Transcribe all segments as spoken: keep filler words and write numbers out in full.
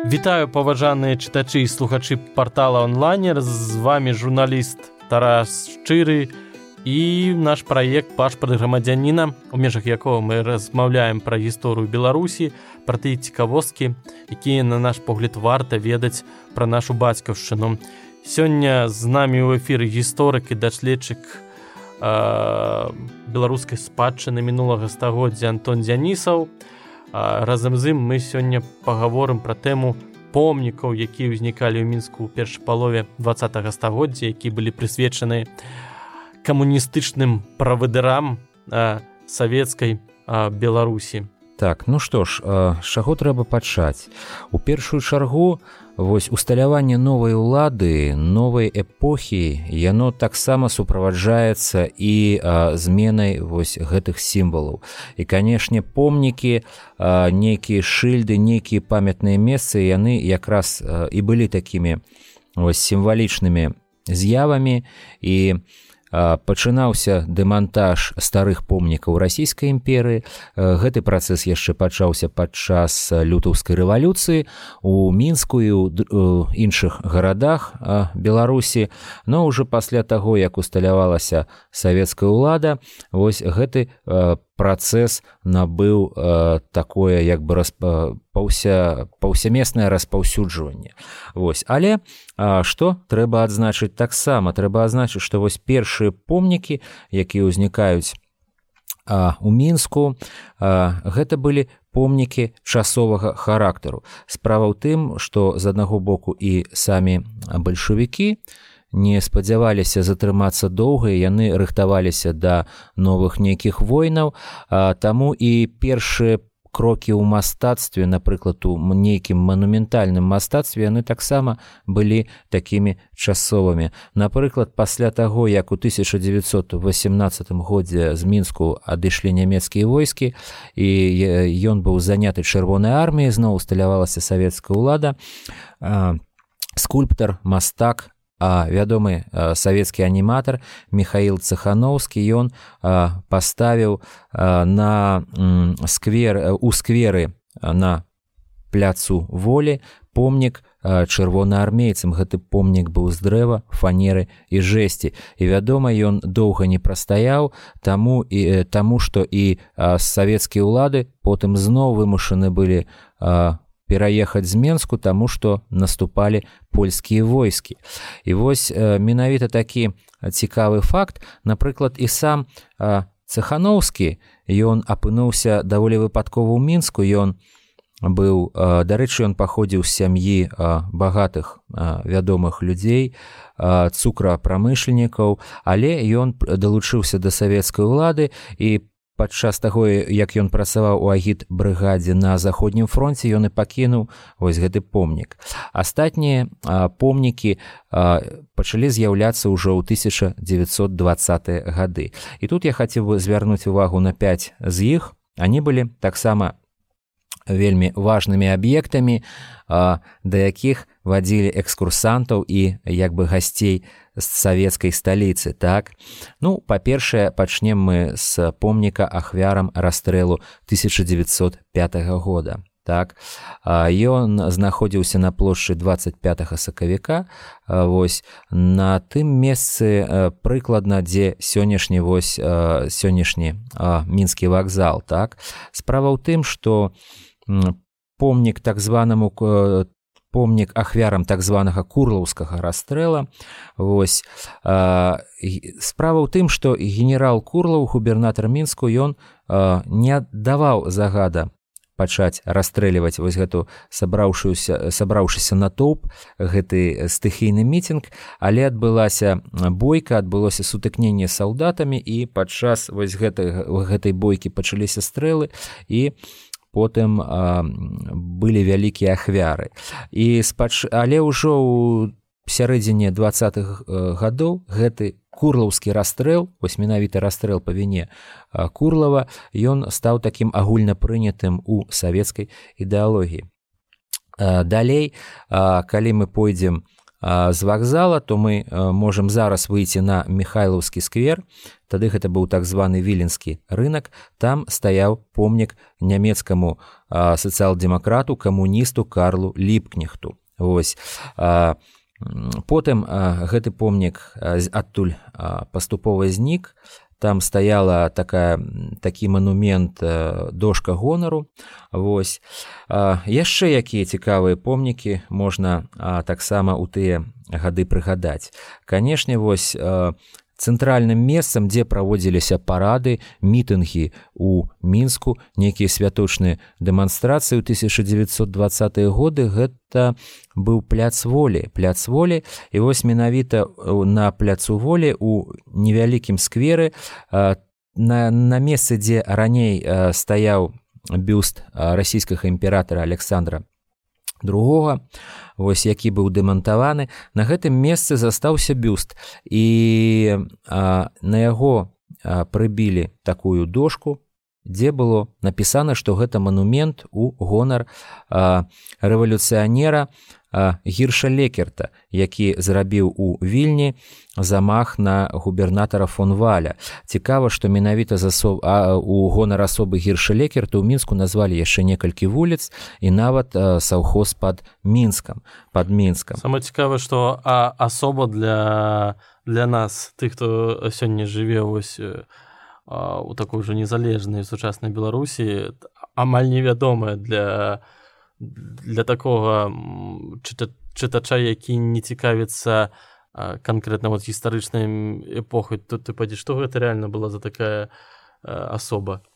Вітаю, паважаныя чытачы і слухачы партала онлайнер. З вами журналіст Тарас Шчыры і наш праект «Пашпарт грамадзяніна», у межах якога мы размаўляем пра гісторыю Беларусі, пра тыя цікавосткі, якія, на наш погляд, варта ведаць пра нашу бацькаўшчыну. Сёння з намі ў эфіры гісторык і даследчык э, беларускай спадчыны мінулага стагоддзя Антон Дзянісаў. Разам з ім мы сёння пагаворым пра тэму помнікаў, якія ўзнікалі ў Мінску ў першай палове дваццатага стагоддзя, якія былі прысвечаны камуністычным правадырам савецкай Беларусі. Так, ну што ж, з чаго трэба пачаць? У першую чаргу вось усталяванне новай улады, новай эпохі, яно таксама суправаджаецца і а, зменай вось гэтых сімвалаў. І, канешне, помнікі, а, нейкія шыльды, нейкія памятныя месцы, яны якраз а, і былі такімі вось сімвалічнымі з'явамі, і пачынаўся дэмантаж старых помнікаў расійскай імперыі. Гэты працэс яшчэ пачаўся падчас лютаўскай рэвалюцыі у Мінску і ў іншых гарадах Беларусі, но ўжо пасля таго, як усталявалася савецкая ўлада, вось гэты працэс набыў э, такое як бы распа, паўся, паўсямеснае распаўсюджванне. Вось. Але а, што трэба адзначыць таксама? Трэба адзначыць, што вось першыя помнікі, якія ўзнікаюць а, у Мінску, а, гэта былі помнікі часовага характару. Справа ў тым, што з аднаго боку і самі бальшавікі не спадзяваліся затрымацца доўга, яны рыхтаваліся да новых нейкіх войнаў, а, таму і першыя крокі ў мастацтве, напрыклад, у нейкім манументальным мастацтве, яны таксама былі такімі часовымі. Напрыклад, пасля таго, як у тысяча дзевяцьсот васямнаццатым годзе з Мінску адышлі нямецкія войскі, і ён быў заняты чырвонай арміяй, зноў усталявалася савецкая ўлада, а, скульптар, мастак, А вядомы а, савецкі аніматар Міхаіл Цехановскі, ён а, паставіў а, на м, сквер, у скверы а, на пляцу Волі помнік а, чырвонаармейцам. Гэты помнік быў з дрэва, фанеры і жэсці. І вядома, ён доўга не прастаяў, таму, і, таму што і а, савецкія ўлады потым зноў вымушаны былі а, пераехаць з Менску, таму што наступалі польскія войскі. І вось э, менавіта такі цікавы факт, напрыклад, і сам э, Цехановскі, ён апынуўся даволі выпадкова ў Мінску, ён быў, э, дарэчы, ён паходзіў з сям'і э, багатых э, вядомых людзей, э, цукрапрамышленнікаў, але ён далучыўся да савецкай улады, і падчас таго, як ён працаваў у агітбрыгадзе на заходнім фронце, ён і пакінуў вось гэты помнік. Астатнія а, помнікі а, пачалі з'яўляцца ўжо ў тысяча дзевяцьсот дваццатыя гады. І тут я хацеў бы звярнуць увагу на пяць з іх. Они былі таксама вельмі важнымі аб'ектамі, а, да якіх вадзілі экскурсантаў і як бы гасцей з савецкай сталіцы. Так? Ну, па-першае, пачнем мы з помніка ахвярам расстрэлу тысяча дзевяцьсот пятага года. Так? Ён знаходзіўся на плошчы дваццаць пятага сакавіка, вось, на тым месцы прыкладна, дзе сённяшні, вось, сённяшні мінскі вакзал. Так? Справа ў тым, што помнік так званаму помнік ахвярам так званага курлаўскага расстрэла. Вось, а, справа ў тым, што генерал Курлаў, губернатар Мінску, ён а, не даваў загада пачаць расстрэльваць вось гэту сабраўшуюся, сабраўшыся натоўп, гэты стыхійны мітынг, але адбылася бойка, адбылося сутыкненне з салдатамі, і падчас вось гэтай, гэтай бойкі пачаліся стрэлы, і потым а, былі вялікія ахвяры. І спач... Але ўжо ў сярэдзіне дваццатых гадоў гэты курлаўскі расстрэл, вось менавіта расстрэл па віне Курлава, ён стаў такім агульнапрынятым у савецкай ідэалогіі. Далей, калі мы пойдзем з вакзала, то мы можам зараз выйти на Михайлаўскі сквер. Тады гэта быў так званы віленскі рынок. Там стаяў помнік нямецкаму сацыял-дэмакрату, камуністу Карлу Ліпкнехту. Вось. Потым гэты помнік адтуль паступова знік. Там стаяла такая, такі манумент дошка гонару. Вось. Яшчэ якія цікавыя помнікі можна таксама ў тыя гады прыгадаць. Канешне, вось цэнтральным месцам, дзе праводзіліся парады, мітынгі ў Мінску, нейкія святочныя дэманстрацыі ў тысяча дзевяцьсот дваццатыя годы, гэта быў пляц волі. Пляц волі, і вось менавіта на пляцу волі у невялікім скверы, на, на месцы, дзе раней стаяў бюст расійскага імператара Александра другога, вось які быў дэмантаваны, на гэтым месцы застаўся бюст, і а, на яго а, прыбілі такую дошку, дзе было напісана, што гэта манумент у гонар а, рэвалюцыянера а, Гірша Лекерта, які зрабіў у Вільні замах на губернатара фон Валя. Цікава, што менавіта засоб... а, у гонар асобы Гірша Лекерта ў Мінску назвалі яшчэ некалькі вуліц і нават а, саўхоз пад Мінскам, пад Мінскам. Самае цікава, што а, асоба для, для нас, тых, хто сёння жыве вось а, у такой жа незалежнай сучаснай Беларусі, амаль невядомая для для такога чыта, чытача, які не цікавіцца канкрэтна вот гістарычнай эпохай. Тут ты падзеш, што гэта рэальна была за такая асоба?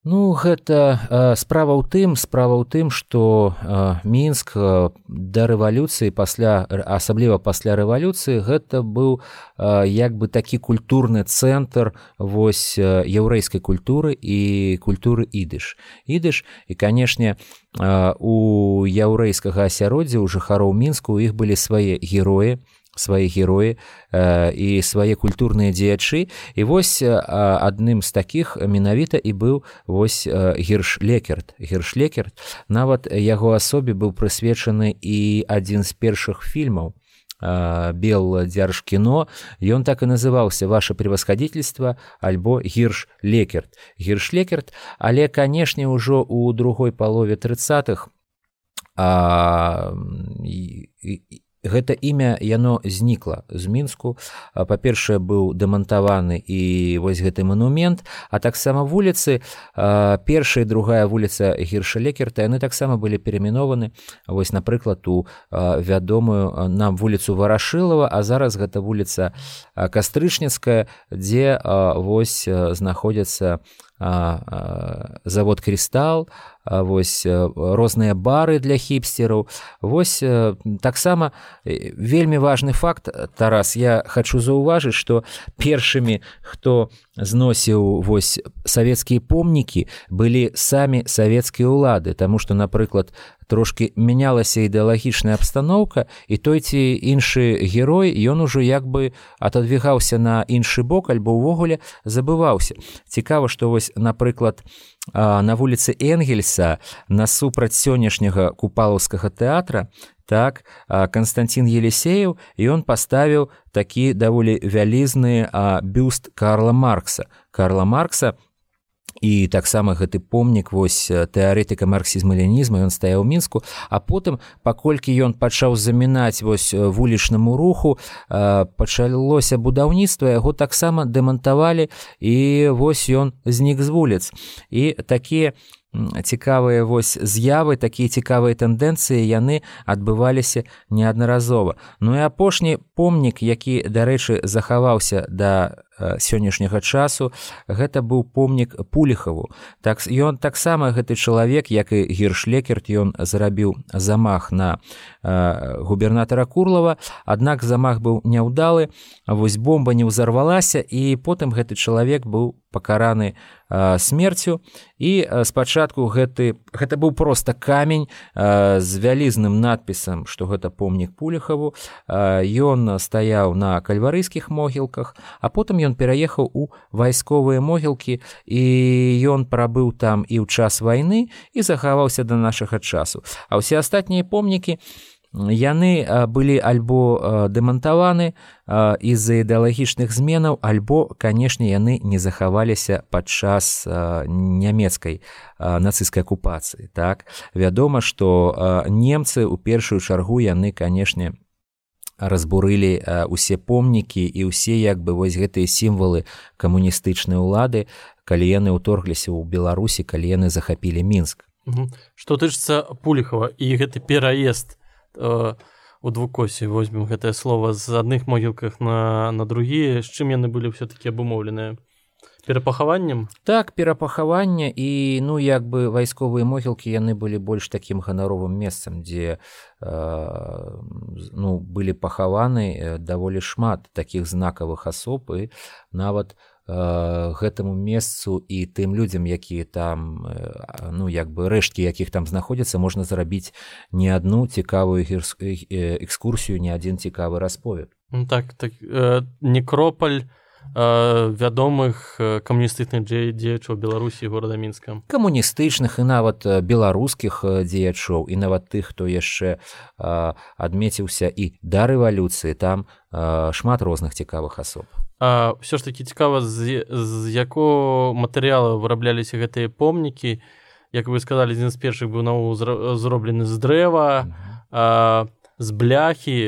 Ну, гэта э, справа ў тым, справа ў тым, што э, Мінск э, да рэвалюцыі, пасля, асабліва пасля рэвалюцыі, гэта быў э, як бы такі культурны цэнтр вось э, яўрэйскай культуры і культуры ідыш. Ідыш, і, канешне, э, у яўрэйскага асяроддзя, у жыхароў Мінску, у іх былі свае героі, свае героі э, і свае культурныя дзеячы. І вось э, адным з такіх менавіта і быў вось э, Гірш Лекерт. Гірш Лекерт, нават яго асобе быў прысвечаны і адзін з першых фільмаў э, Белдзяржкіно. Ён так і называўся «Ваше превосходительство» альбо «Гірш Лекерт». Гірш Лекерт, але, канешне, ужо ў другой палове трыццатых а, і, і, гэта імя, яно знікла з Мінску. Па-першае, быў дэмантаваны і вось гэты манумент, а таксама вуліцы, першая і другая вуліца Гірша Лекерта, яны таксама былі перайменованы, вось, напрыклад, у вядомую нам вуліцу Варашылава, а зараз гэта вуліца Кастрычніцкая, дзе вось знаходзяцца завод «Крыстал», вось розныя бары для хіпстераў. Вось таксама вельмі важны факт, Тарас, я хачу заўважыць, што першымі, хто зносіў вось савецкія помнікі, былі самі савецкія ўлады, таму што, напрыклад, трошкі мянялася ідэалагічная абстаноўка, і той ці іншы герой, ён ужо як бы атадвігаўся на іншы бок, альбо ўвогуле забываўся. Цікава, што вось, напрыклад, на вуліцы Энгельса насупраць сённяшняга Купалаўскага тэатра, так, Канстантин Елисеев, ён паставіў такі даволі вялізны бюст Карла Маркса. Карла Маркса, і таксама гэты помнік вось тэарэтыка марксізму-ленінізму, ён стаяў у Мінску, а потым, паколькі ён пачаў замінаць вось вулічнаму руху, пачалося будаўніцтва, яго таксама дэмантавалі, і вось ён знік з вуліц. І такія цікавыя вось з'явы, такія цікавыя тэндэнцыі, яны адбываліся неаднаразова. Ну і апошні помнік, які, дарэчы, захаваўся да сённяшняга часу, гэта быў помнік Пуліхаву. Так, ён таксама, гэты чалавек, як і Гірш Лекерт, ён зрабіў замах на э, губернатара Курлава, аднак замах быў няўдалы, вось бомба не ўзарвалася, і потым гэты чалавек быў пакараны э, смерцю, і э, спачатку гэты, гэта быў проста камень э, з вялізным надпісам, што гэта помнік Пуліхаву. Э, ён стаяў на кальварыйскіх могілках, а потым ён пераехаў у вайсковыя могілкі, і ён прабыў там і ў час вайны, і захаваўся да нашага часу. А ўсе астатнія помнікі, яны былі альбо дэмантаваны з-за ідэалагічных зменаў, альбо, канешне, яны не захаваліся падчас нямецкай нацысцкай акупацыі. Так? Вядома, што немцы ў першую чаргу яны, канешне, разбурылі ўсе помнікі і ўсе як бы вось гэтыя сімвалы камуністычнай улады, калі яны ўторгліся ў Беларусі, калі яны захапілі Мінск. Што тычыцца Пуліхава і гэты пераезд э, у двукосе, возьмем гэтае слово, з адных могілках на, на другія, з чым яны былі ўсё-такі абумоўленыя? Перапахаваннем? Так, перапахаванне, і ну як бы вайсковыя могілкі яны былі больш такім ганаровым месцам, дзе э, ну, былі пахаваны даволі шмат такіх знакавых асоб, і нават гэтаму месцу і тым людзям, якія там, ну, як бы рэшткі якіх там знаходзяцца, можна зрабіць не адну цікавую экскурсію, не адзін цікавы расповед. Так, так э, некропаль э, вядомых камуністычных дзеячоў Беларусі і горада Мінска. Камуністычных і нават беларускіх дзеячоў, і нават тых, хто яшчэ э, адмеціўся і да рэвалюцыі, там э, шмат розных цікавых асоб. А ўсё ж такі цікава, з, з якого матэрыялу вырабляліся гэтыя помнікі. Як вы сказалі, адзін з першых быў наогул зроблены з дрэва, а, з бляхі.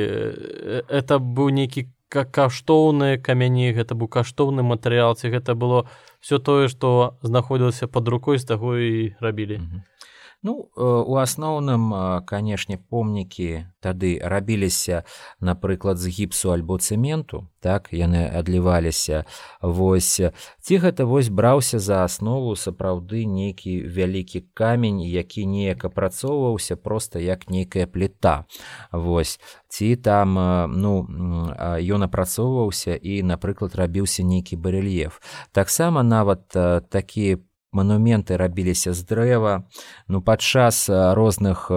Это быў нейкі каштоўны камяні, гэта быў каштоўны матэрыял, ці гэта было все тое, што знаходзілася пад рукой, з таго і рабілі. Ну, у асноўным, канешне, помнікі тады рабіліся, напрыклад, з гіпсу альбо цэменту, так, яны адліваліся, вось, ці гэта вось браўся за аснову сапраўды нейкі вялікі камень, які неяк апрацоўваўся проста як нейкая пліта, вось, ці там, ну, ён апрацоўваўся і, напрыклад, рабіўся нейкі барэльеф. Таксама нават такія манументы рабіліся з дрэва, ну, падчас розных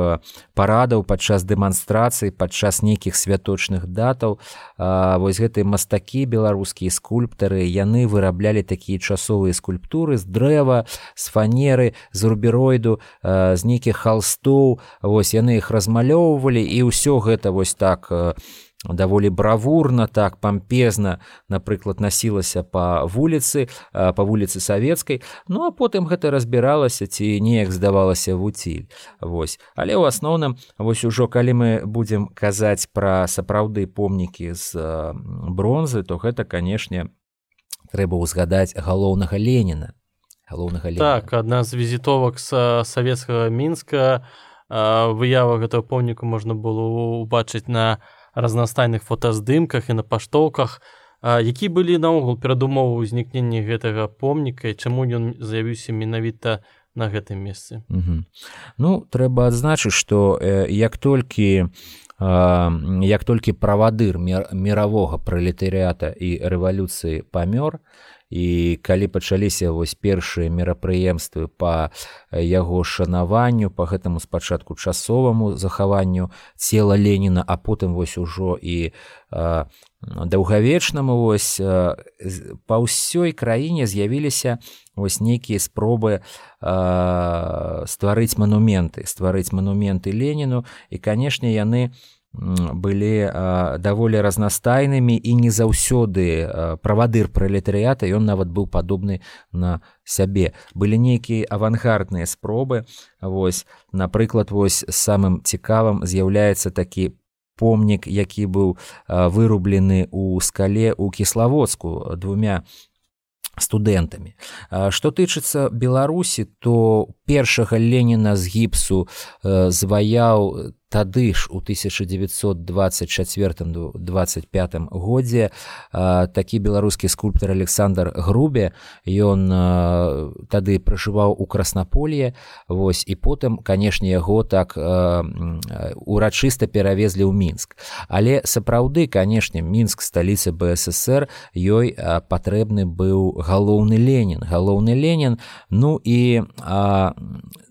парадаў, падчас дэманстрацый, падчас нейкіх святочных датаў, вось гэтыя мастакі, беларускія скульптары, яны выраблялі такія часовыя скульптуры з дрэва, з фанеры, з рубероіду, з нейкіх халстоў, вось яны іх размалёўвалі, і ўсё гэта вось так даволі бравурна, так, пампезна, напрыклад, насілася па вуліцы, па вуліцы Савецкай, ну, а потым гэта разбіралася ці неяк здавалася в уціль. Вось. Але ў асноўным, вось ужо калі мы будзем казаць пра сапраўды помнікі з бронзы, то гэта, канешне, трэба ўзгадаць галоўнага Леніна. Галоўнага Леніна. Так, адна з візітовак з савецкага Мінска, выява гэтага помніку можна было ўбачыць на разнастайных фотаздымках і на паштоўках. Які былі наогул перадумовы ўзнікнення гэтага помніка і чаму ён з'явіўся менавіта на гэтым месцы? Угу. Ну, трэба адзначыць, што э, як толькі э, як толькі правадыр міравога пралетарыята і рэвалюцыі памёр, і калі пачаліся вось першыя мерапрыемствы па яго шанаванню, па гэтаму спачатку часоваму захаванню цела Леніна, а потым вось ужо і а, даўгавечнаму, вось а, па ўсёй краіне з'явіліся вось нейкія спробы а, стварыць манументы, стварыць манументы Леніну, і, канешне, яны былі а, даволі разнастайнымі, і не заўсёды а, правадыр пралетарыята, ён нават быў падобны на сябе. Былі нейкія авангардныя спробы, вось, напрыклад, вось самым цікавым з'яўляецца такі помнік, які быў а, вырублены ў скале ў Кіславодску двумя студэнтамі. Што тычыцца Беларусі, то першага Леніна з гіпсу э, зваяў тады ж у тысяча дзевяцьсот дваццаць чацвёртым — дваццаць пятым годзе а, такі беларускі скульптар Александр Грубе, ён а, тады пражываў у Краснаполье, вось, і потым, канешне, яго так а, урачыста перавезлі ў Мінск. Але сапраўды, канешне, Мінск, сталіца бэ эс эсэр, ёй а, патрэбны быў галоўны Ленін. Галоўны Ленін, ну і а,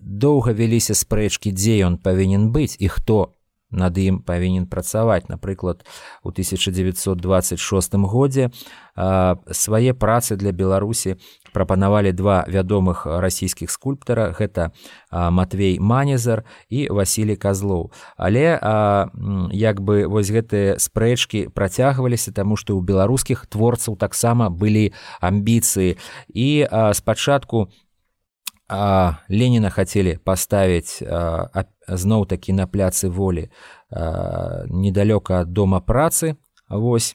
доўга вяліся спрэчкі, дзе ён павінен быць і хто над ім павінен працаваць. Напрыклад, у тысяча дзевяцьсот дваццаць шостым годзе свае працы для Беларусі прапанавалі два вядомых расійскіх скульптара, гэта Матвей Манезар і Васілій Казлоў. Але як бы вось гэтыя спрэчкі працягваліся, таму што ў беларускіх творцаў таксама былі амбіцыі. І спачатку Леніна хацелі паставіць зноў-такі на пляцы Волі недалёка ад дома працы, вось.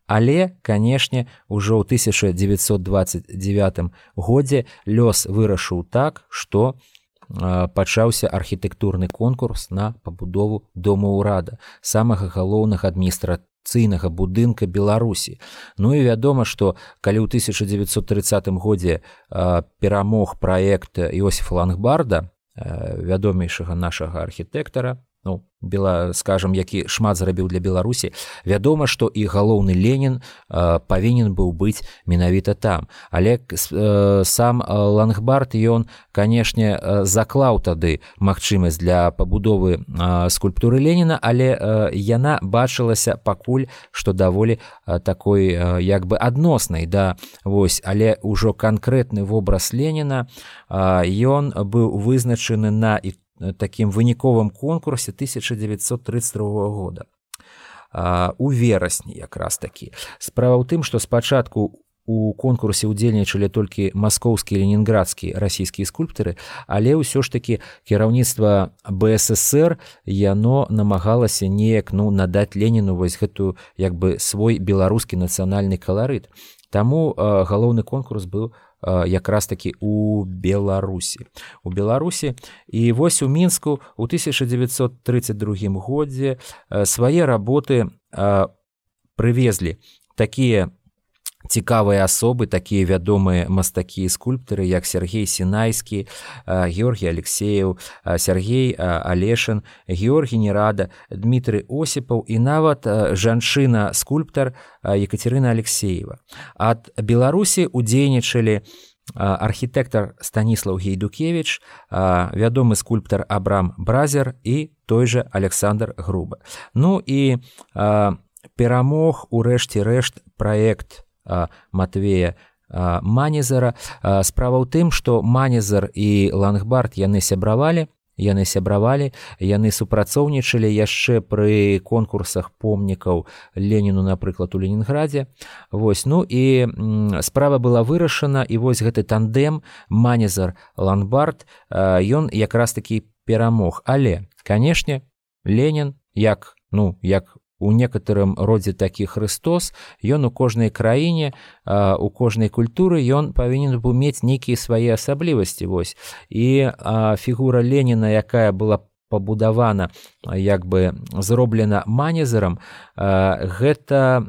Але, канешне, ужо ў тысяча дзевяцьсот дваццаць дзевятым годзе лёс вырашыў так, што пачаўся архітэктурны конкурс на пабудову дома ўрада, самага галоўнага адміністрацыйнага будынка Беларусі. Ну і вядома, што калі ў тысяча дзевяцьсот трыццатым годзе перамог праект Іосіфа Лангбарда, вядомейшага нашага архітэктара, ну, бела, скажам, які шмат зрабіў для Беларусі, вядома, што і галоўны Ленін э, павінен быў быць менавіта там. Але э, сам Лангбард, ён, канешне, заклаў тады магчымасць для пабудовы э, скульптуры Леніна, але э, яна бачылася пакуль, што даволі э, такой э, як бы адноснай, да, вось, але ўжо канкрэтны вобраз Леніна, э, ён быў вызначаны на і такім выніковым конкурсе тысяча дзевяцьсот трыццаць другога года. У верасні якраз такі. Справа ў тым, што спачатку у конкурсе ўдзельнічалі толькі маскоўскія і ленінградскія расійскія скульптары, але ўсё ж такі кіраўніцтва бэ эс эсэр яно намагалася неяк, ну, надаць Леніну вось гэтую як бы свой беларускі нацыянальны каларыт. Таму э, галоўны конкурс быў якраз такі у Беларусі. У Беларусі. І вось у Мінску ў тысяча дзевяцьсот трыццаць другім годзе свае работы прывезлі такія цікавыя асобы, такія вядомыя мастакі і скульптары, як Сергей Сінайскі, Георгій Алексеев, Сергей Алешин, Георгій Нерада, Дмітрый Осіпаў і нават жанчына-скульптар Екатерина Алексеева. Ад Беларусі удзейнічалі архітэктар Станіслаў Гейдукевіч, вядомы скульптар Абрам Бразер і той жа Александр Груба. Ну і перамог у рэшце рэшт праект Матвея Манезара. Справа ў тым, што Манезар і Лангбард яны сябравалі, яны сябравалі, яны супрацоўнічалі яшчэ пры конкурсах помнікаў Леніну, напрыклад, у Ленінградзе. Вось, ну і справа была вырашана, і вось гэты тандем Манезар-Лангбард, ён якраз такі перамог. Але, канешне, Ленін, як, ну, як у некаторым родзе такі Христос, ён у кожнай краіне, у кожнай культуры ён павінен быў мець нейкія свае асаблівасці. Вось. І фігура Леніна, якая была пабудавана, як бы зроблена Манезарам, гэта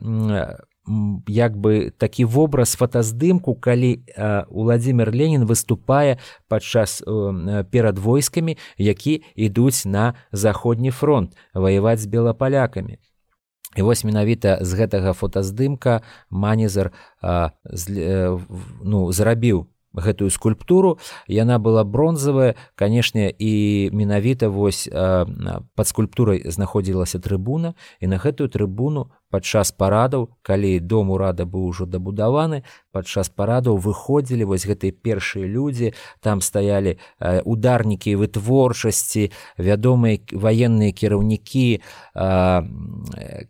як бы такі вобраз фотаздымку, калі Уладзімір Ленін выступае падчас перад войскамі, які ідуць на заходні фронт ваяваць з белапалякамі. І вось менавіта з гэтага фотаздымка Манезар а, з, ну, зрабіў гэтую скульптуру. Яна была бронзавая, канешне, і менавіта вось а, пад скульптурай знаходзілася трыбуна, і на гэтую трыбуну падчас парадаў, калі дом урада быў ужо дабудаваны, падчас парадаў выходзілі вось гэтыя першыя людзі, там стаялі а, ударнікі вытворчасці, вядомыя ваенныя кіраўнікі. А,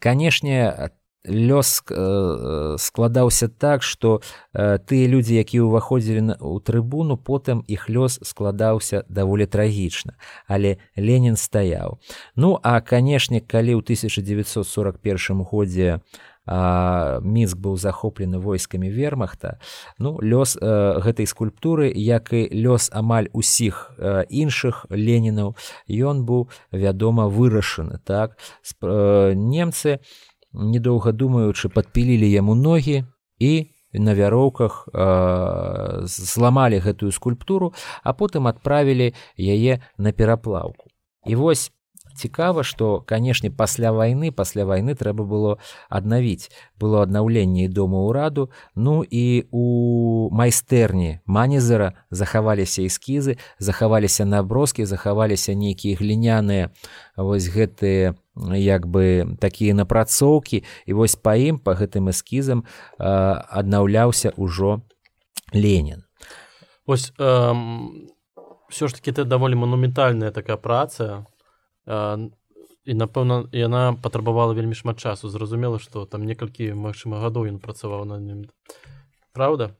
канешне, лёс э, складаўся так, што э, тыя людзі, якія ўваходзілі ў трыбуну, потым іх лёс складаўся даволі трагічна. Але Ленін стаяў. Ну, а, канешне, калі ў тысяча дзевяцьсот сорак першым годзе а, Мінск быў захоплены войскамі вермахта, ну, лёс э, гэтай скульптуры, як і лёс амаль усіх э, іншых Ленінаў, ён быў, вядома, вырашаны. Так? Сп, э, немцы, недоўга думаючы, падпілілі яму ногі і на вяроўках э, зламалі гэтую скульптуру, а потым адправілі яе на пераплаўку. І вось цікава, што, канешне, пасля вайны, пасля вайны трэба было аднавіць. Было аднаўленне і дома ўраду, ну і у майстэрні Манезера захаваліся эскізы, захаваліся наброскі, захаваліся нейкія гліняныя вось гэтыя як бы такія напрацоўкі, і вось па ім, па гэтым эскізам аднаўляўся ўжо Ленін. Вось эм, все ж таки это даволі манументальная такая праца, э, і напэўна яна патрабавала вельмі шмат часу. Зразумела, што там некалькі магчыма гадоў ён працаваў над ім. Праўда?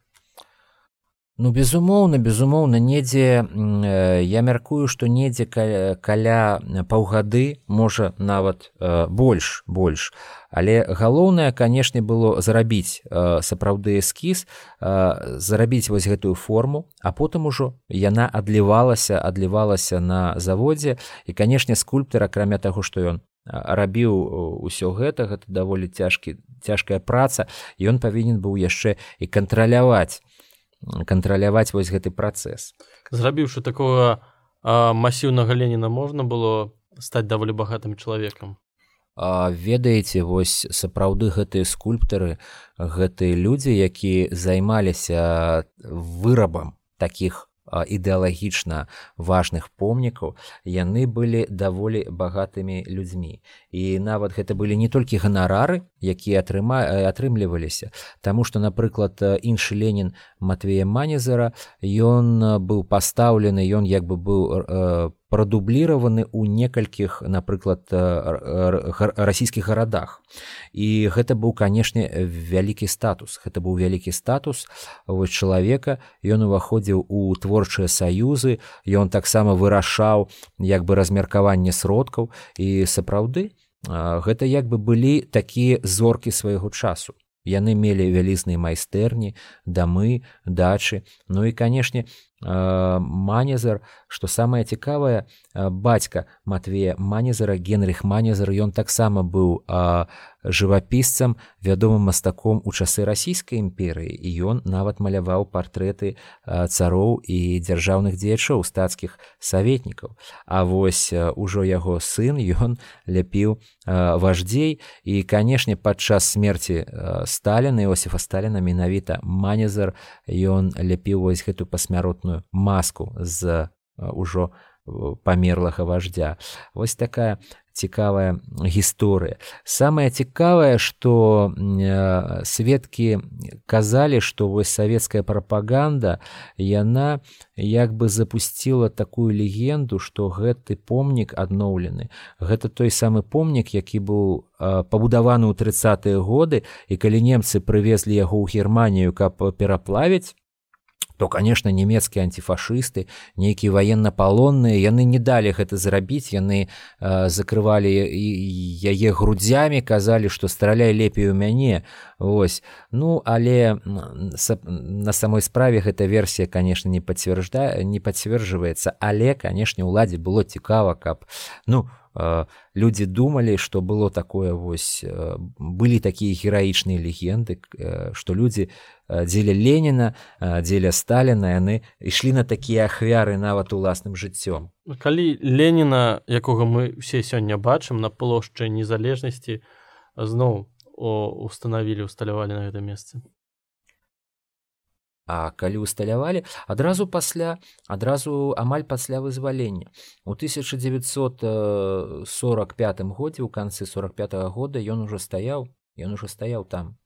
Ну, безумоўна, безумоўна, недзе, э, я мяркую, што недзе каля, каля паўгады, можа нават э, больш, больш. Але галоўнае, канешне, было зарабіць э, сапраўды эскіз, э, зарабіць вось гэтую форму, а потым ужо яна адлівалася, адлівалася на заводзе. І, канешне, скульптар, акрамя таго, што ён рабіў усё гэта, гэта даволі цяжкі, цяжкая праца, і ён павінен быў яшчэ і кантраляваць кантраляваць вось гэты працэс. Зрабіўшы такого а, масіўнага Леніна, можна было стаць даволі багатым чалавекам? А, ведаеце, вось сапраўды гэтыя скульптары, гэтыя людзі, якія займаліся вырабам такіх ідэалагічна важных помнікаў, яны былі даволі багатымі людзьмі. І нават гэта былі не толькі ганарары, якія атрыма... атрымліваліся, таму што, напрыклад, іншы Ленін Матвея Манезера, ён быў пастаўлены, ён як бы быў э, прадубліраваны ў некалькіх, напрыклад, расійскіх гарадах. І гэта быў, канешне, вялікі статус. Гэта быў вялікі статус вось чалавека, ён уваходзіў у творчыя саюзы, ён таксама вырашаў як бы размеркаванне сродкаў, і сапраўды гэта як бы былі такія зоркі свайго часу. Яны мелі вялізныя майстэрні, дамы, дачы. Ну і, канешне, Манезер, што самае цікавае, бацька Матвея Манезера, Генрых Манезер, ён таксама быў жывапісцам, вядомым мастаком у часы расійскай імперыі, і ён нават маляваў партрэты цароў і дзяржаўных дзеячоў, стацкіх саветнікаў. А вось ужо яго сын, ён ляпіў важдзей, і, канешне, падчас смерці Сталіна, Іосіфа Сталіна, менавіта Манезер, ён ляпіў вось гэту пасмяротную маску з ужо памерлага вождя. Вось такая цікавая гісторыя. Самае цікавае, што сведкі казалі, што вось савецкая прапаганда, яна як бы запусціла такую легенду, што гэты помнік адноўлены. Гэта той самы помнік, які быў пабудаваны ў трыццатыя годы, і калі немцы прывезлі яго ў Германію, каб пераплавіць, то, конечно, нямецкія антифашысты, нейкія ваеннапалонныя, яны не далі гэта зрабіць, яны э, закрывалі яе грудзямі, казалі, што страляй лепей у мяне. Вось. Ну, але на самой справе гэта версія, конечно, не пацвярджае, не пацвярджваецца, але, конечно, уладзе было цікава, каб, ну, людзі думалі, што было такое вось, былі такія гераічныя легенды, што людзі дзеля Леніна, дзеля Сталіна, яны ішлі на такія ахвяры нават уласным жыццём. Калі Леніна, якога мы ўсе сёння бачым, на плошчы Незалежнасці зноў устанавілі, усталявалі на гэта месца. А калі усталявалі, адразу пасля, адразу амаль пасля вызвалення. У тысяча дзевяцьсот сорок пятым годзе, у канцы сорок пятага года ён ужо стаяў, ён ужо стаяў там,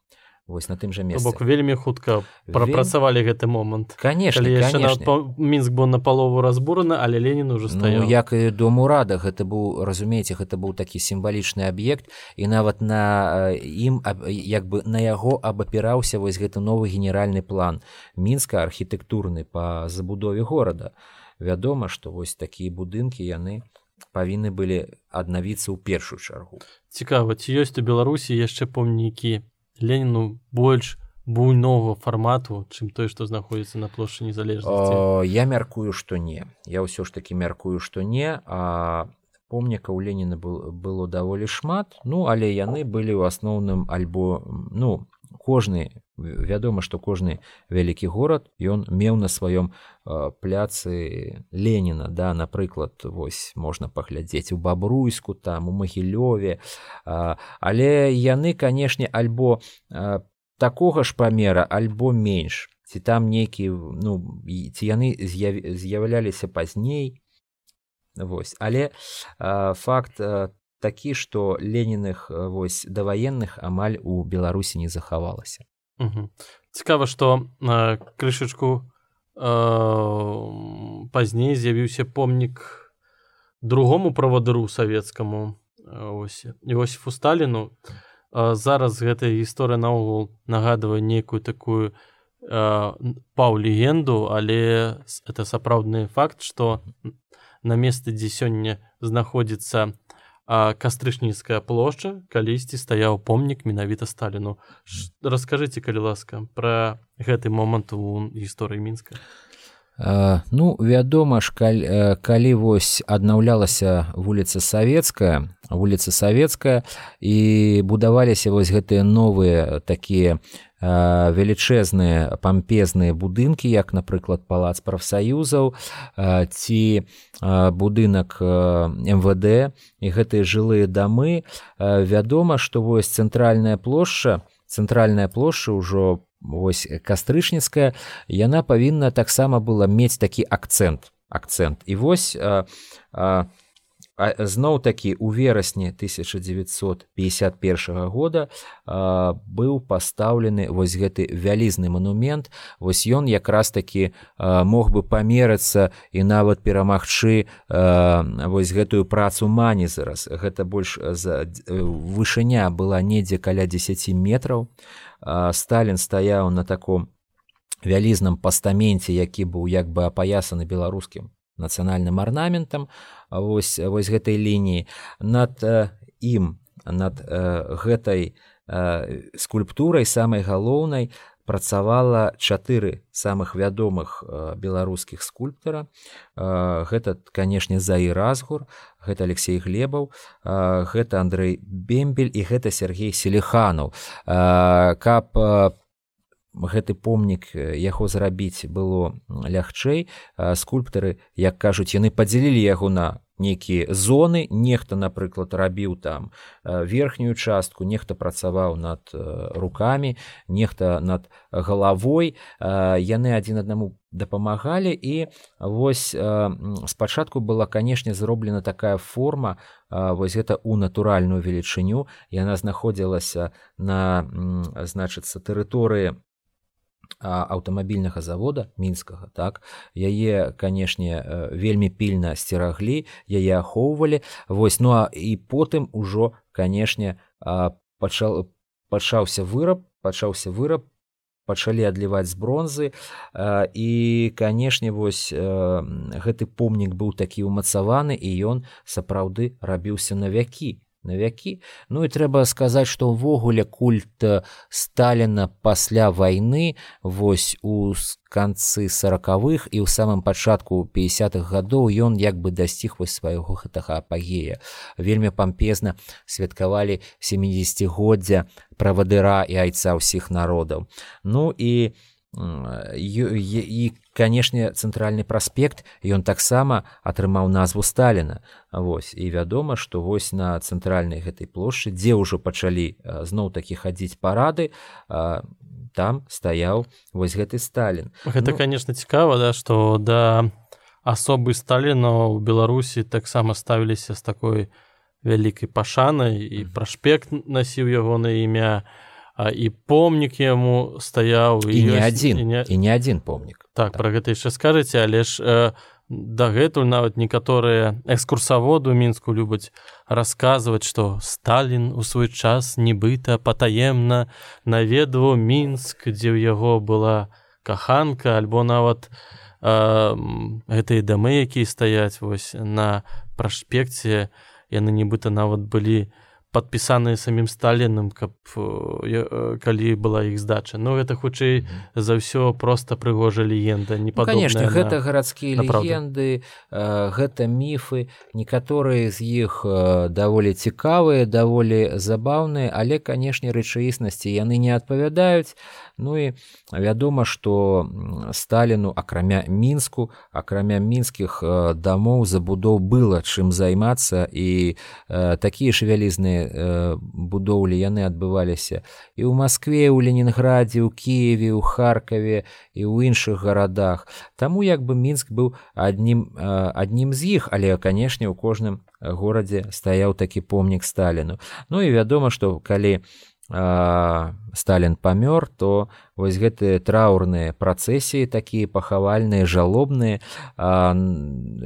вось на тым жа месцы. То бок вельмі хутка прапрацавалі гэты момант. Канешне, канешне. Мінск быў напалову разбураны, але Ленін ужо стаяў. Ну, як і дом урада, гэта быў, разумееце, гэта быў такі сімвалічны аб'ект, і нават на ім, як бы на яго абапіраўся вось гэты новы генеральны план Мінска, архітэктурны па забудове горада. Вядома, што вось такія будынкі, яны павінны былі аднавіцца ў першую чаргу. Цікава, ці ёсць у Беларусі яшчэ помнікі Леніну больш буйнога фармату, чым той, што знаходзіцца на плошчы Незалежнасці? Я мяркую, што не. Я ўсё ж такі мяркую, што не, а помнікаў Леніна было даволі шмат, ну, але яны былі ў асноўным альбо, ну, кожны вядома, што кожны вялікі горад ён меў на сваём пляцы Леніна, да, напрыклад, вось можна паглядзець у Бабруйску, там у Магілёве, але яны, канешне, альбо такога ж памера, альбо менш, ці там нейкі, ну, ці яны з'яўляліся пазней, вось, але факт такі, што Леніных вось даваенных амаль у Беларусі не захавалася. Угу. Цікава, што э, крышачку э, пазней з'явіўся помнік другому правадыру савецкаму, ось, Іосіфу Сталіну. Э, зараз гэтая гісторыя наогул нагадвае нейкую такую э, паўлегенду, але это сапраўдны факт, што на месцы, дзе сёння знаходзіцца а Кастрычніцкая плошча, калісьці стаяў помнік менавіта Сталіну. Раскажыце, калі ласка, пра гэты момант у гісторыі Мінска. Uh, ну, вядома ж, калі, калі вось аднаўлялася вуліца Савецкая, вуліца Савецкая, і будаваліся вось гэтыя новыя такія uh, велічэзныя пампезныя будынкі, як, напрыклад, палац прафсаюзаў, uh, ці uh, будынак uh, эм вэ дэ, і гэтыя жылыя дамы, uh, вядома, што вось цэнтральная плошча, цэнтральная плошча ўжо вось Кастрычніцкая, яна павінна таксама была мець такі акцэнт, акцэнт. І вось а, а, а, зноў-такі у верасні тысяча дзевяцьсот пятьдесят першага года а, быў пастаўлены вось гэты вялізны манумент. Вось ён якраз такі а, мог бы памерыцца і нават перамагчы а, вось гэтую працу Мані зараз. Гэта больш за вышыня была недзе каля дзесяці метраў. Сталін стаяў на таком вялізным пастаменце, які быў як бы апаясаны беларускім нацыянальным арнаментам, вось, вось гэтай лініі. Над э, ім, над э, гэтай э, скульптурай самай галоўнай працавала чатыры самых вядомых э, беларускіх скульптара. Э, гэта, канешне, Заір Разгур, гэта Алексей Глебаў, э, гэта Андрэй Бембель і гэта Сергей Селиханаў. Э, каб э, гэты помнік яго зрабіць было лягчэй, э, скульптары, як кажуць, яны падзялілі яго на нейкія зоны, нехта, напрыклад, рабіў там верхнюю частку, нехта працаваў над рукамі, нехта над галавой, яны адзін аднаму дапамагалі, і вось спачатку была, канешне, зроблена такая форма, вось гэта ў натуральную велічыню, яна знаходзілася на, значыцца, тэрыторыі аўтамабільнага завода мінскага, так, яе, канешне, вельмі пільна сцераглі, яе ахоўвалі, вось, ну а і потым ужо, канешне, пачаў, пачаўся выраб, пачаўся выраб, пачалі адліваць з бронзы, і, канешне, вось гэты помнік быў такі ўмацаваны, і ён сапраўды рабіўся на вякі. на вякі. Ну і трэба сказаць, што ўвогуле культ Сталіна пасля вайны вось у канцы саракавых і ў самым пачатку пятидесятых гадоў ён як бы дасціг вось свайго гэтага апагея. Вельмі пампезна святкавалі сямідзесяцігоддзя правадыра і айца ўсіх народаў. Ну і і, канешне, цэнтральны праспект, ён таксама атрымаў назву Сталіна. Вось, і вядома, што вось на цэнтральнай гэтай плошчы, дзе ўжо пачалі зноў-такі хадзіць парады, там стаяў вось гэты Сталін. Гэта, ну, канешне, цікава, да, што да асобы Сталіна ў Беларусі таксама ставіліся з такой вялікай пашанай, і праспект насіў ягонае імя, А і помнік яму стаяў, і, і не адзін, і не... і не адзін помнік. Так, так, пра гэта яшчэ скажаце, але ж э, дагэтуль нават некаторыя экскурсаводы ў Мінску любяць расказваць, што Сталін у свой час нібыта патаемна наведваў Мінск, дзе ў яго была каханка, альбо нават э, гэтыя дамы, якія стаяць вось на праспекце, яны нібыта нават былі падпісаныя самім Сталіным, каб калі была іх здача. Ну гэта хутчэй за ўсё проста прыгожая легенда, не падобная. Ну, конечно, на... гэта гарадскія легенды, гэта міфы, некаторыя з іх даволі цікавыя, даволі забаўныя, але, канешне, рэчаіснасці яны не адпавядаюць. Ну і вядома, што Сталіну, акрамя Мінску, акрамя мінскіх дамоў, забудоў было чым займацца, і такія ж вялізныя будоўлі яны адбываліся і ў Маскве, ў Ленінградзе, ў Кіеве, ў Харкаве і ў іншых гарадах. Таму як бы Мінск быў аднім, аднім з іх, але, канешне, у кожным горадзе стаяў такі помнік Сталіну. Ну і вядома, што калі Сталін памёр, то вось гэтыя траўрныя працэсіі, такія пахавальныя, жалобныя,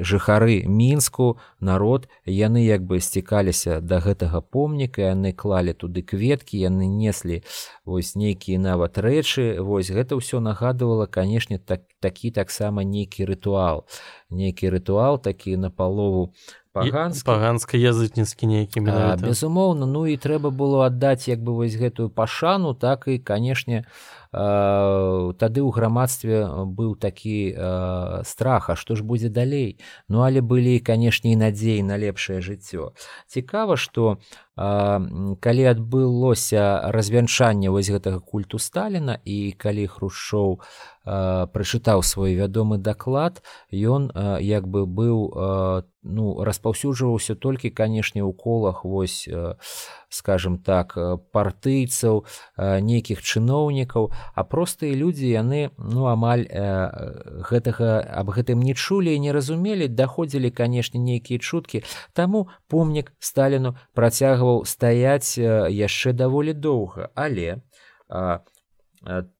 жыхары Мінску, народ, яны як бы сцікаліся да гэтага помніка, яны клалі туды кветкі, яны неслі вось нейкія нават рэчы. Вось гэта ўсё нагадывала, канешне, так, такі таксама нейкі рытуал. Нейкі рытуал, такі напалову паганскі. Паганска-язычніцкі нейкі менавіта. Безумоўна, ну і трэба было аддаць як бы вось гэтую пашану, так і, канешне, тады ў грамадстве быў такі страх, а што ж будзе далей? Ну, але былі, канешне, і надзеі на лепшае жыццё. Цікава, што калі адбылося развянчанне вось гэтага культу Сталіна, і калі Хрушчоў прачытаў свой вядомы даклад, ён як бы быў, ну, распаўсюджваўся толькі, канешне, у колах вось, скажем так, партыйцаў, нейкіх чыноўнікаў, а простыя людзі, яны, ну, амаль гэтага, аб гэтым не чулі і не разумелі, даходзілі, канешне, нейкія чуткі, таму помнік Сталіну працягваў стаяць яшчэ даволі доўга, але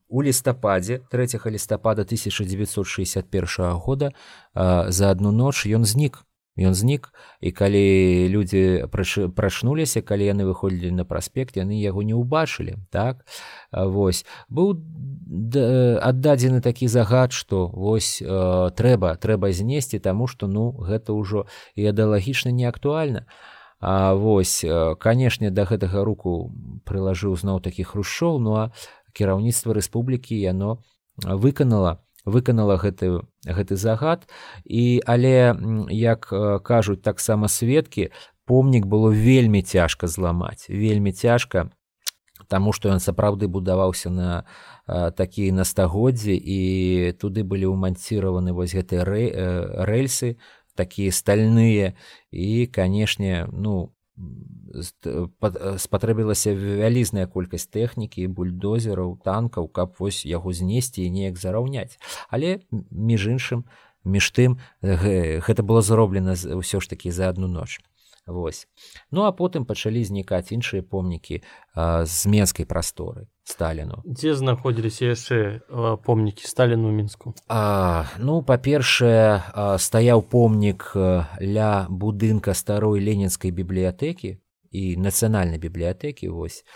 у лістападзе, трэцяга лістапада тысяча дзевяцьсот шэсцьдзесят першага года за адну ноч ён знік. Ён знік, і калі людзі прачнуліся, калі яны выходзілі на праспект, яны яго не ўбачылі, так? Вось. Быў аддадзены такі загад, што вось трэба, трэба знесці, таму што, ну, гэта ўжо ідэалагічна не актуальна. А вось, канешне, да гэтага руку прылажыў зноў такі Хрушчоў, ну а кіраўніцтва рэспублікі яно выканала выканала гэты, гэты загад, і, але, як кажуць таксама сведкі, помнік было вельмі цяжка зламаць, вельмі цяжка, таму што ён сапраўды будаваўся на такія на стагоддзі, і туды былі ўманціраваны вось гэтыя рэльсы, такія стальныя, і, канешне, ну, спатрэбілася вялізная колькасць тэхнікі, бульдозераў, танкаў, каб вось яго знесці і неяк зараўняць. Але, між іншым, між тым, гэта было зроблена ўсё ж такі за адну ноч. Вось. Ну, а потым пачалі знікаць іншыя помнікі з менскай прасторы Сталіну. Дзе знаходзіліся яшчэ помнікі Сталіну ў Мінску? А, ну, па-першае, стаяў помнік ля будынка старой ленінскай бібліятэкі і нацыянальнай бібліятэкі, вось.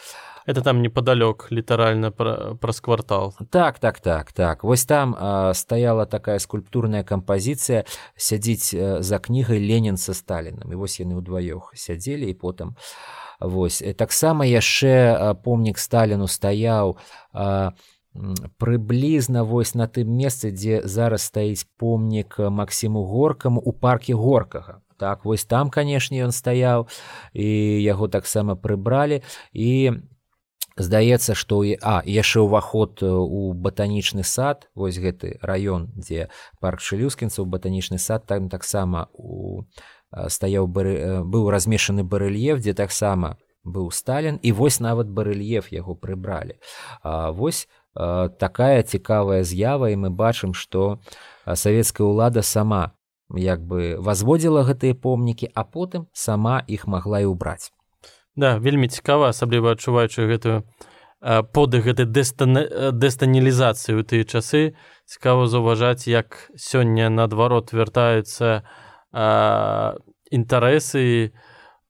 Это там непадалёк, літаральна праз квартал. Так, так, так, так. Вось там а, стаяла такая скульптурная кампазіцыя, сядзіць за кнігай Ленін са Сталінам. І вось яны ўдваёх сядзелі, і потым вось. Таксама яшчэ помнік Сталіну стаяў а, прыблізна вось на тым месцы, дзе зараз стаіць помнік Максіму Горкаму ў парке Горкага. Так, вось там, канешне, ён стаяў, і яго таксама прыбралі, і здаецца, што а яшчэ ўваход у батанічны сад, вось гэты раён, дзе парк Шэлюскінцаў, батанічны сад, там таксама у стаяў быў размешчаны барэльеф, дзе таксама быў Сталін, і вось нават барэльеф яго прыбралі. А вось такая цікавая з'ява, і мы бачым, што савецкая ўлада сама як бы возводзіла гэтыя помнікі, а потым сама іх магла і ўбраць. Да, вельмі цікава, асабліва адчуваючы гэтую подых гэтай дэстанілізацыі ў тыя часы. Цікава заўважаць, як сёння наадварот вяртаюцца інтарэсы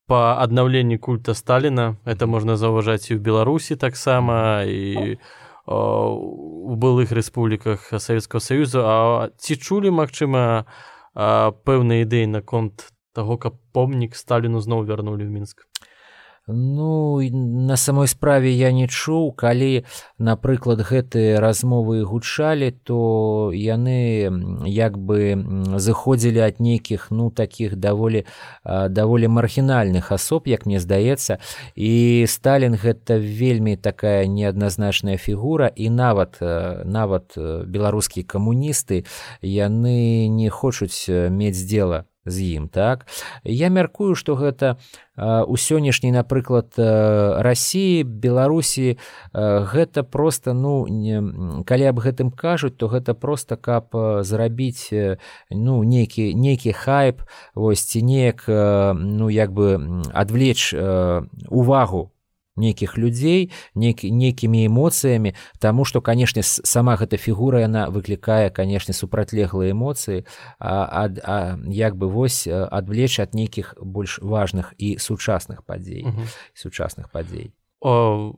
па аднаўленні культа Сталіна. Это можна заўважаць і ў Беларусі таксама, і у былых рэспубліках Савецкага Саюзу. А ці чулі, магчыма, пэўныя ідэі наконт таго, каб помнік Сталіну зноў вярнулі ў Мінск? Ну, на самой справе я не чуў, калі, напрыклад, гэтыя размовы гучалі, то яны як бы зыходзілі ад нейкіх, ну, такіх даволі, даволі маргінальных асоб, як мне здаецца, і Сталін гэта вельмі такая неадназначная фігура, і нават, нават беларускія камуністы, яны не хочуць мець дзела з ім, так? Я мяркую, што гэта у сённяшняй, напрыклад, Расіі, Беларусі, гэта проста, ну, калі аб гэтым кажуць, то гэта проста каб зрабіць, ну, нейкі, нейкі хайп, вось, ці неяк, ну, як бы адвлечь увагу нейкіх людзей, нейкі, нейкімі эмоцыямі, таму што, канешне, сама гэта фігура, яна выклікае, канешне, супрацьлеглыя эмоцыі, а, а, а як бы вось адвлечь ад нейкіх больш важных і сучасных падзей, угу. сучасных падзей. О,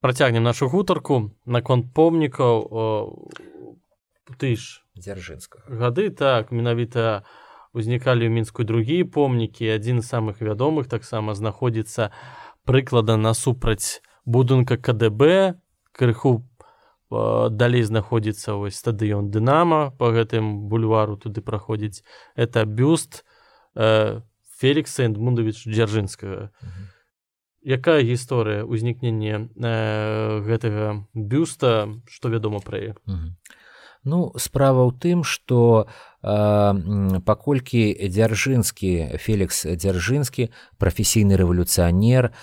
працягнем нашу гутарку наконт помнікаў. Ты ж Дзяржынскага. Гады, так, менавіта узнікалі ў Мінску другія помнікі, адзін з самых вядомых таксама знаходзіцца прыклада насупраць будынка ка дэ бэ, крыху э, далей знаходзіцца вось стадыён Дынама, па гэтым бульвару туды праходзіць. Это бюст э, Фелікса Эдмундавіча Дзяржынскага. Mm-hmm. Якая гісторыя ўзнікнення э, гэтага бюста, што вядома пра яе? Mm-hmm. Ну, справа ў тым, што э, паколькі Дзяржынскі, Фелікс Дзяржынскі, прафесійны рэвалюцыянер, э,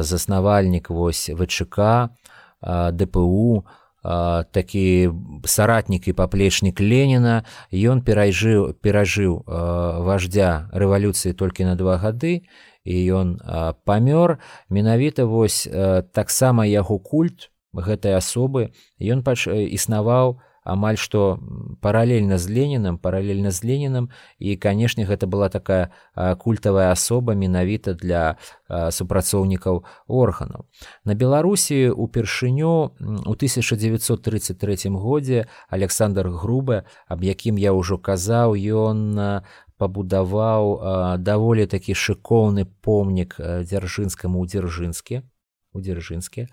заснавальнік вось вэ чэ ка, э, дэ пэ у, э, такі саратнік і паплечнік Леніна, ён перажыў, перажыў э, вождя рэвалюцыі толькі на два гады, і ён э, памёр. Менавіта вось э, таксама яго культ гэтай асобы, ён пач... існаваў амаль што паралельна з Ленінам, паралельна з Ленінам, і, канешне, гэта была такая культавая асоба менавіта для супрацоўнікаў органаў. На Беларусі упершыню у тысяча дзевяцьсот трыццаць трэцім годзе Александр Грубе, аб якім я ўжо казаў, ён пабудаваў даволі такі шыкоўны помнік Дзяржынскаму ў Дзяржынске, у Дзяржынске,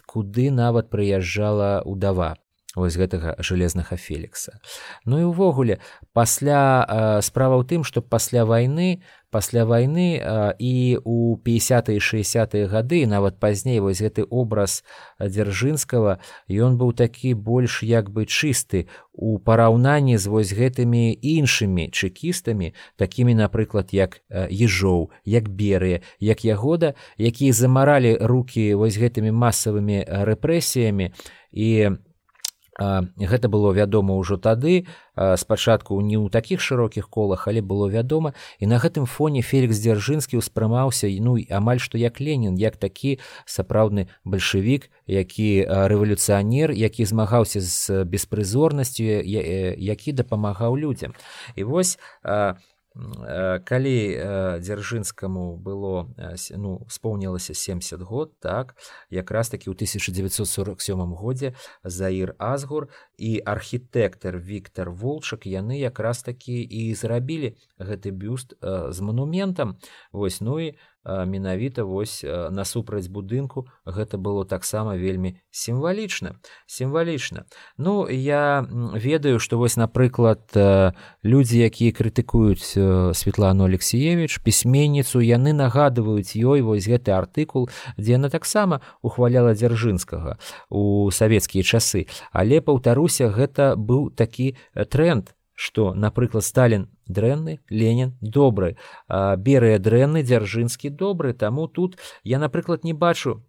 куды нават прыязджала ўдава вось гэтага жалезнага Фелікса. Ну і ўвогуле, пасля э, справа ў тым, што пасля вайны, пасля вайны э, і ў пятидесятыя і шэсцідзесятыя гады, нават пазней, вось гэты образ Дзяржынскага, ён быў такі больш як бы чысты у параўнанні з вось гэтымі іншымі чэкістамі, такімі, напрыклад, як э, Ежоў, як Берыя, як Ягода, якія замаралі рукі вось гэтымі масавымі рэпрэсіямі, і гэта было вядома ўжо тады, спачатку не ў такіх шырокіх колах, але было вядома, і на гэтым фоне Фелікс Дзяржынскі ўспрымаўся, ну, амаль што як Ленін, як такі сапраўдны бальшавік, які рэвалюцыянер, які змагаўся з беспрызорнасцю, які дапамагаў людзям. І вось калі Дзяржынскаму было, ну, споўнілася семьдесят год, так, якраз такі ў тысяча дзевяцьсот сорок сёмым годзе Заір Азгур і архітэктар Віктар Волчак, яны якраз такі і зрабілі гэты бюст з манументам. Вось, ну і менавіта вось насупраць будынку гэта было таксама вельмі сімвалічна. Сімвалічна. Ну, я ведаю, што вось, напрыклад, людзі, якія крытыкуюць Светлану Алексіевіч, пісьменніцу, яны нагадваюць ёй вось гэты артыкул, дзе яна таксама ухваляла Дзяржынскага у савецкія часы. Але, паўтаруся, гэта быў такі тренд, што, напрыклад, Сталін дрэнны, Ленін добры, Берыя дрэнны, Дзяржынскі добры, таму тут я, напрыклад, не бачу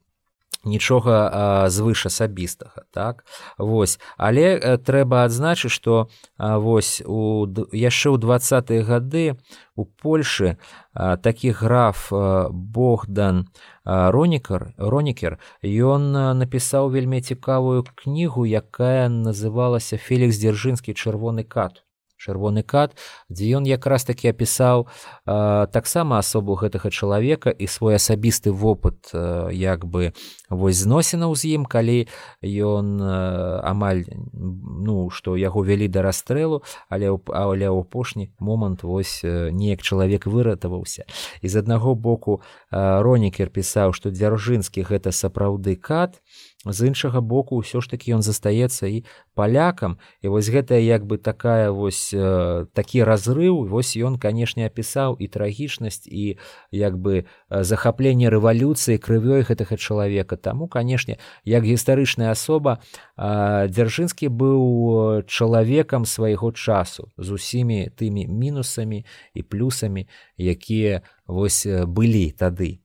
нічога а, звыш асабістага, так? Вось. Але а, трэба адзначыць, што а, вось у, яшчэ ў дваццатыя гады у Польшы а, такі граф а, Богдан а, Ронікер, Ронікер, ён а, напісаў вельмі цікавую кнігу, якая называлася «Фелікс Дзяржынскі. Чырвоны кат». чырвоны кат, дзе ён якраз такі апісаў э, таксама асобу гэтага чалавека і свой асабісты вопыт э, як бы вось зносінаў з ім, калі ён э, амаль ну што яго вялі да расстрэлу, але але ў апошні момант вось э, неяк чалавек выратаваўся. І з аднаго боку э, Ронікер пісаў, што Дзяржынскі гэта сапраўды кат, з іншага боку ўсё ж такі ён застаецца і палякам, і вось гэтая як бы такая вось э, такі разрыў, вось ён канешне апісаў і трагічнасць і як бы захапленне рэвалюцыі крывёй гэтага чалавека. Таму канешне як гістарычная асоба э, Дзяржынскі быў чалавекам свайго часу з усімі тымі мінусамі і плюсамі, якія вось былі тады.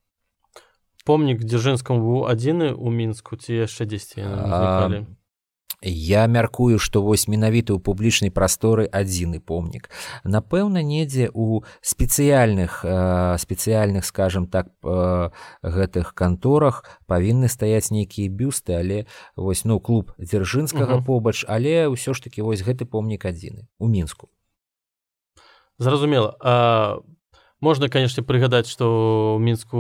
Помнік Дзяржынскаму быў адзіны ў Мінску ці яшчэ дзесьці узнікалі? Я мяркую, што вось менавіта ў публічнай прасторы адзіны помнік. Напэўна, недзе ў спецыяльных, спецыяльных, скажем так, гэтых канторах павінны стаяць нейкія бюсты, але вось, ну, клуб Дзяржынскага uh-huh. побач, але ўсё ж такі вось гэты помнік адзіны ў Мінску. Зразумела. А можна, канешне, прыгадаць, што ў Мінску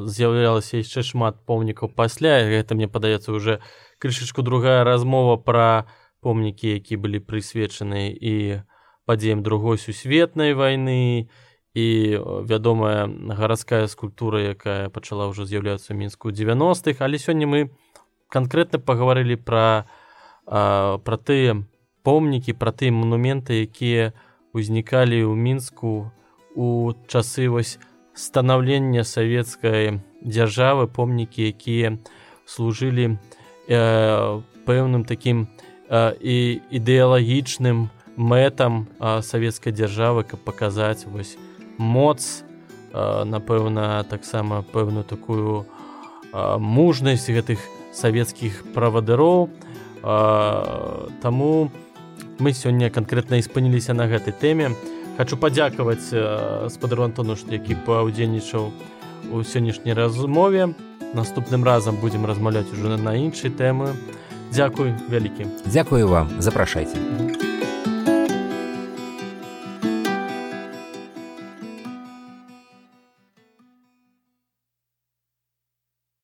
з'яўлялася яшчэ шмат помнікаў пасля, гэта, мне падаецца, уже крышачку другая размова пра помнікі, якія былі прысвечаны і падзеям другой сусветнай вайны, і вядомая гарадская скульптура, якая пачала ўжо з'яўляцца ў Мінску ў дзевяностых, але сёння мы канкрэтна пагаварылі пра, пра тыя помнікі, пра тыя манументы, якія ўзнікалі ў Мінску у часы вось станаўлення савецкай дзяржавы, помнікі, якія служылі э, пэўным такім э, і ідэалагічным мэтам э, савецкай дзяржавы, каб паказаць вось моц, э, напэўна, таксама пэўную такую э, мужнасць гэтых савецкіх правадыроў. Э, таму мы сёння канкрэтна і спыніліся на гэтай тэме. Хачу падзякаваць э, спадару Антону, які паўдзельнічаў у сённяшняй размове. Наступным разам будзем размаўляць ужо на іншай тэмы. Дзякуй вялікі. Дзякую вам, запрашайце.